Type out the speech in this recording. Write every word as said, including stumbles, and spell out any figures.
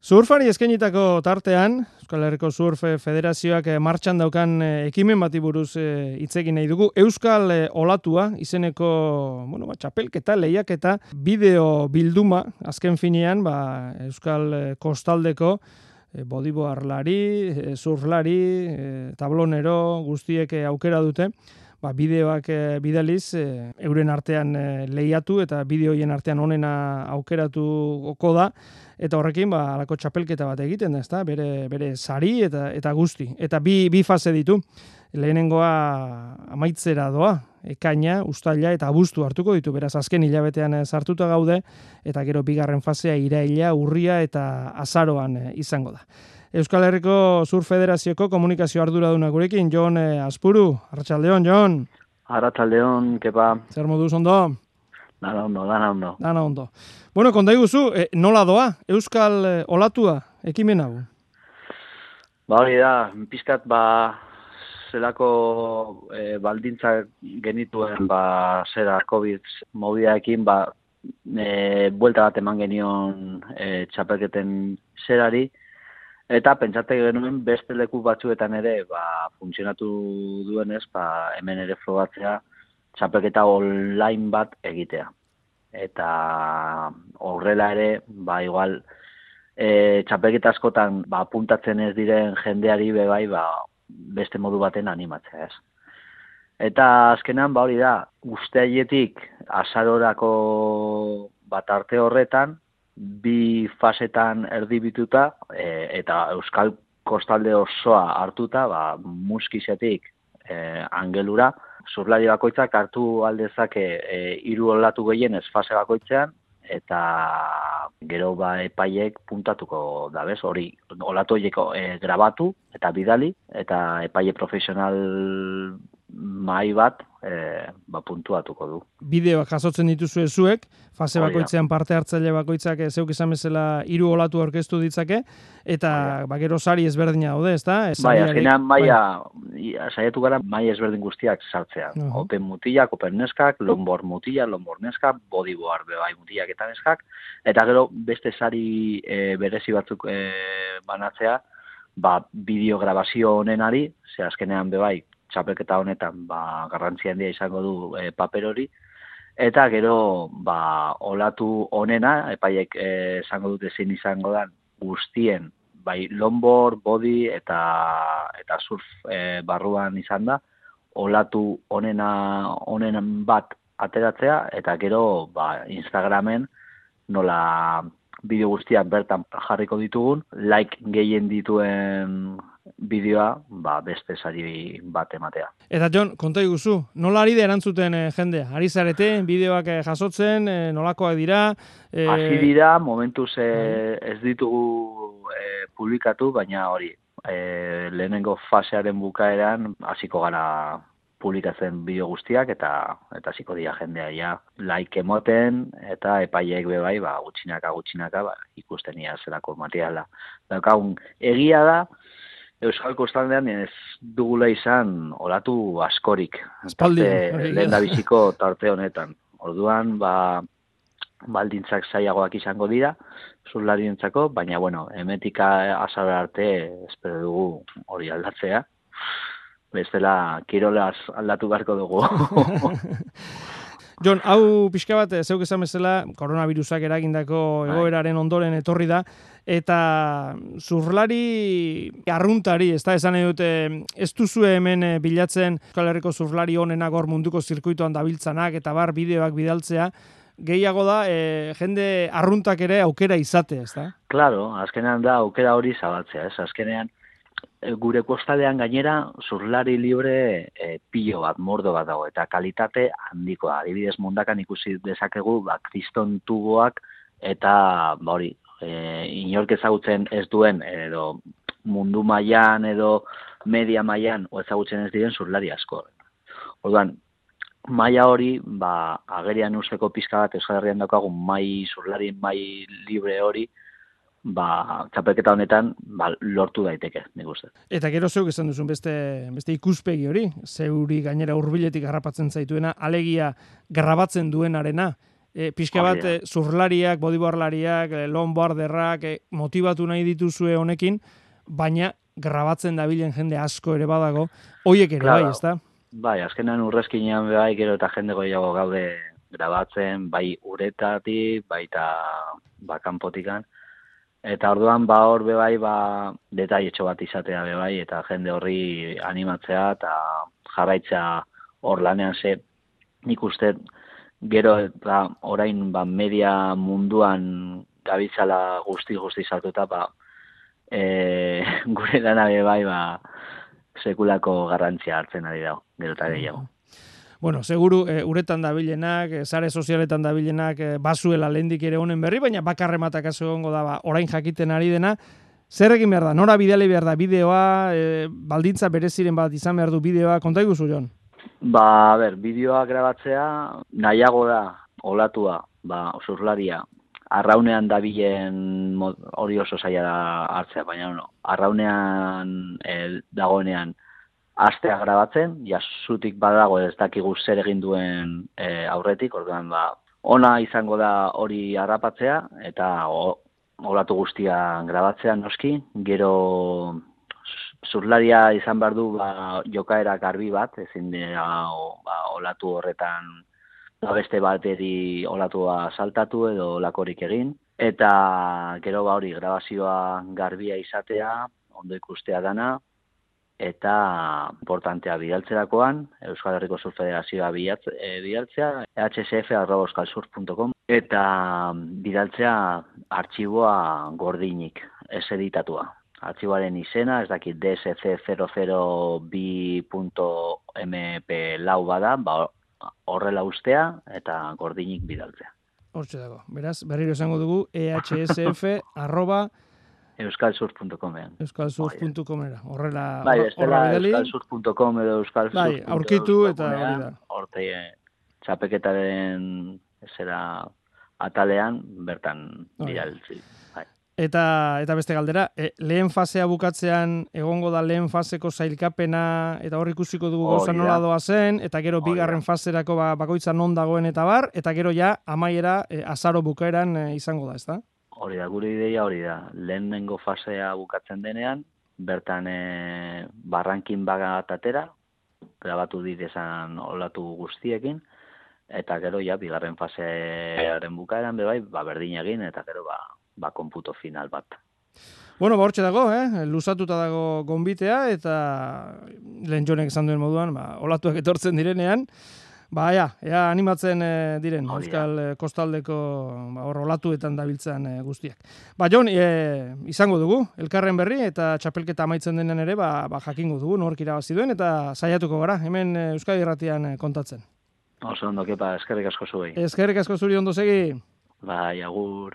Surfari eskainitako tartean, Euskal Herriko Surf Federazioak martxan daukan ekimen bati buruz hitz egin nahi dugu. Euskal Olatua izeneko, bueno, ba, txapelketa, lehiaketa, bideo bilduma, azken finean, ba, Euskal Kostaldeko bodiboarlari, surflari, tablonero guztiek aukera dute, ba, bideoak bidaliz, euren artean lehiatu eta bideoien artean onena aukeratuko da. Eta horrekin, ba, alako txapelketa bat egiten da, ezta? Bere, bere sari eta, eta guzti. Eta bi, bi fase ditu. Lehenengoa amaitzera doa, ekaina, uztaila eta abuztu hartuko ditu. Beraz, azken hilabetean sartuta gaude, eta gero bigarren fasea iraila, urria eta azaroan izango da. Euskal Herriko Surf Federazioko komunikazio arduraduna gurekin, Jon Azpuru. Arratsaldeon, Jon. Arratsaldeon, kepa. Zer moduz ondo? Dana ondo, dana ondo. Dana ondo. Bueno, konta iguzu, eh, nola doa Euskal eh, Olatua ekimen hau? Ba hori da, pizkat ba zelako eh, baldintzak genituen ba zera COVID mobidaekin ba eh, buelta bat eman genion eh, txapelketen zerari eta pentsate genuen beste leku batzuetan ere ba funtzionatu duenez ba hemen ere frogatzea txapelketa online bat egitea. Eta horrela ere, ba igual e, txapelketa askotan ba apuntatzen ez diren jendeari be bai ba beste modu baten animatzea, ez. Eta azkenan ba hori da, uztailetik azarorako bat arte horretan bi fasetan erdibituta e, eta Euskal Kostalde osoa hartuta, ba Muskizetik e, Angelura surflari bakoitzak hartu aldezake e, hiru olatu gehienez fase bakoitzean eta gero ba epaiek puntatuko da, bez? Hori olatu horieko e, grabatu eta bidali eta epaile profesional mahai bat e, ba puntuatuko du. Bideoak jasotzen dituzue zuek, fase bakoitzean parte hartzaile bakoitzak zeuk izan bezala hiru olatu aurkeztu ditzake eta ba gero sari ezberdina daude, ezta? Bai, azkenean maila saiatu gara maila ezberdin guztiak sartzea. Uh -huh. Open mutilak, open neskak, longboard mutila, longboard neskak, bodyboard bai mutilak eta neskak eta gero beste sari e, berezi batzuk e, banatzea, ba bideo grabazio honenari, ze azkenean be bai txapelketa honetan ba garrantzia handia izango du e, paper hori eta gero ba olatu honena epaiek esango dute zein izango da guztien bai longboard, body eta eta surf e, barruan izan da olatu honena honen bat ateratzea eta gero ba Instagramen nola bideo guztiak bertan jarriko ditugun, like gehien dituen bideoa ba beste sari bat ematea. Eta Jon, konta iguzu, nola ari da erantzuten e, jendea? Ari zarete, bideoak e, jasotzen, e, nolakoak dira? E... Hasi dira, momentuz e, ez ditugu e, publikatu, baina hori, e, lehenengo fasearen bukaeran hasiko gara publikatzen bideo guztiak eta eta hasiko dira jendea ja like emoten eta epaileek be bai ba gutxinaka gutxinaka ba ikusten ia zelako materiala. Daukagun egia da Euskal Kostaldean ez dugula izan olatu askorik. Espaldi, lehendabiziko tarte honetan. Orduan ba baldintzak zailagoak izango dira surflarientzako, baina bueno, hemetika azara arte espero dugu hori aldatzea. Bestela kirolaz aldatu beharko dugu. Jon, hau pixka bat, zeuk esan bezala, koronavirusak eragindako egoeraren ondoren etorri da, eta surflari arruntari, ez da, esan nahi dute, ez duzue hemen bilatzen Euskal Herriko surflari honenak hor munduko zirkuitoan dabiltzanak, eta bar bideoak bidaltzea, gehiago da, e, jende arruntak ere aukera izate, ez da? Claro, azkenean da aukera hori zabaltzea, ez, azkenean, gure kostaldean gainera surflari libre e, pilo bat, mordo bat dago, eta kalitate handikoa. Adibidez mundakan ikusi dezakegu ba, kriston tuboak eta ba, hori, e, inork ezagutzen ez duen edo mundu mailan edo media mailan o ezagutzen ez diren surflari asko. Orduan, maila hori, ba, agerian usteko pizka bat Euskal Herrian daukagun mai surflari mai libre hori, ba, txapelketa honetan ba, lortu daiteke, nik uste. Eta gero zeuk esan duzun beste, beste ikuspegi hori, zeuri gainera hurbiletik garrapatzen zaituena, alegia grabatzen duenarena, e, pixka bat e, zurlariak, bodyboardlariak, e, longboarderrak e, motibatu nahi dituzue honekin, baina grabatzen dabilen jende asko ere badago, hoiek ere claro. bai, ezta? Bai, azkenan urrezkinean bai, gero eta jende gehiago gaude grabatzen, bai uretatik, baita ba, kanpotikan. Eta orduan, ba, hor be bai, ba, detailetxo bat izatea be bai, eta jende horri animatzea, eta jarraitzea hor lanean ze, nik uste, gero eta orain ba, media munduan gabitzala guzti-guzti sartuta, ba, e, gure lana be bai, ba, sekulako garrantzia hartzen ari dago, gero eta gehiago. Bueno, seguru e, uretan dabilenak, e, sare sozialetan dabilenak e, bazuela lehendik ere honen berri, baina bakarrematak aso egongo da, ba, orain jakiten ari dena, zer egin behar da? Nora bidali behar da bideoa, e, baldintza bereziren bat izan behar du bideoa, konta iguzu, Jon? Ba, a ber, bideoa grabatzea nahiago da, olatua, ba, zurlaria, arraunean dabilen hori oso zaila da hartzea, baina no, arraunean e, dagoenean astea grabatzen, ja zutik badago ez dakigu zer egin duen e, aurretik, orduan ba, ona izango da hori harrapatzea, eta o, olatu guztia grabatzea noski, gero zurlaria izan behar du ba, jokaera garbi bat, ezin dira o, ba, olatu horretan ba, beste bateri olatua saltatu edo olakorik egin, eta gero ba hori grabazioa garbia izatea, ondo ikustea dana, eta importantea bidaltzerakoan, Euskal Herriko Surf Federazioa bidaltzea, h s f arroba euskalsurf punto com, eta bidaltzea artxiboa gordinik, ez editatua. Artxiboaren izena, ez dakit D S C zero zero bi punto m p lau bada, ba, horrela ustea eta gordinik bidaltzea. Hortxe dago. Beraz, berriro esango dugu E H S F arroba euskalsurf punto com ean. euskalsurf punto com era. Horrela, bai, horrela bidali. euskalsurf punto com edo euskalsurf punto com. Bai, aurkitu eta hori da. Horte txapeketaren zera atalean bertan bidaltzi. Bai. Eta eta beste galdera, e, lehen fasea bukatzean egongo da lehen faseko sailkapena eta hor ikusiko dugu gauza nola doa zen, eta gero bigarren faserako ba, bakoitza non dagoen eta bar, eta gero ja amaiera e, azaro bukaeran e, izango da, ezta? Hori da, gure ideia hori da. Lehenengo fasea bukatzen denean, bertan e, barrankin bagat atera, grabatu ditezan olatu guztiekin, eta gero ja bigarren fasearen bukaeran bebai, ba, berdin egin, eta gero ba, ba konputo final bat. Bueno, ba hortxe dago, eh? Luzatuta dago gonbitea, eta lehen Jonek esan duen moduan, ba, olatuak etortzen direnean, ba, ja, ja animatzen e, diren, oh, Euskal ja. Kostaldeko ba, hor olatuetan dabiltzan e, guztiak. Ba, Jon, e, izango dugu, elkarren berri, eta txapelketa amaitzen denen ere, ba, ba jakingo dugu, nork irabazi duen, eta saiatuko gara, hemen Euskadi Irratian kontatzen. Oso ondo, kepa, eskerrik asko zuei. Eskerrik asko zuri ondo segi. Bai, agur.